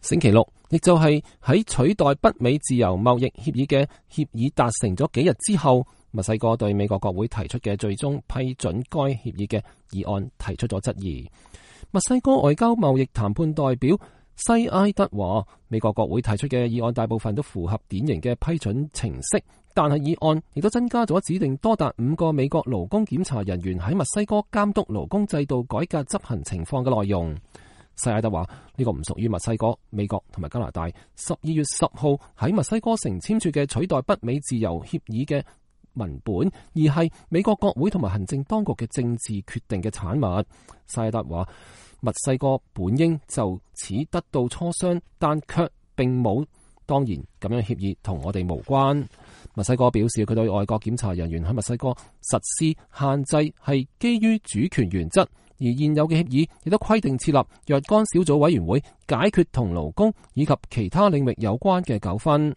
星期六，亦就係喺取代北美自由貿易協議嘅協議達成咗幾日之後，墨西哥對美國國會提出嘅最終批准該協議嘅議案提出咗質疑。墨西哥外交貿易談判代表西埃德話，美國國會提出嘅議案大部分都符合典型嘅批准程式，但係議案亦都增加咗指定多達5個美國勞工檢查人員喺墨西哥監督勞工制度改革執行情況嘅內容。西埃德話，呢個唔屬於墨西哥、美國同埋加拿大12月10號喺墨西哥城簽署嘅取代北美自由協議嘅文本，而係美國國會同埋行政當局嘅政治決定嘅產物。西埃德話，墨西哥本應就此得到磋商，但卻並冇。當然，咁樣協議同我哋無關。墨西哥表示，佢對外國檢查人員喺墨西哥實施限制係基於主權原則，而現有嘅協議亦都規定設立若干小組委員會解決同勞工以及其他領域有關嘅糾紛。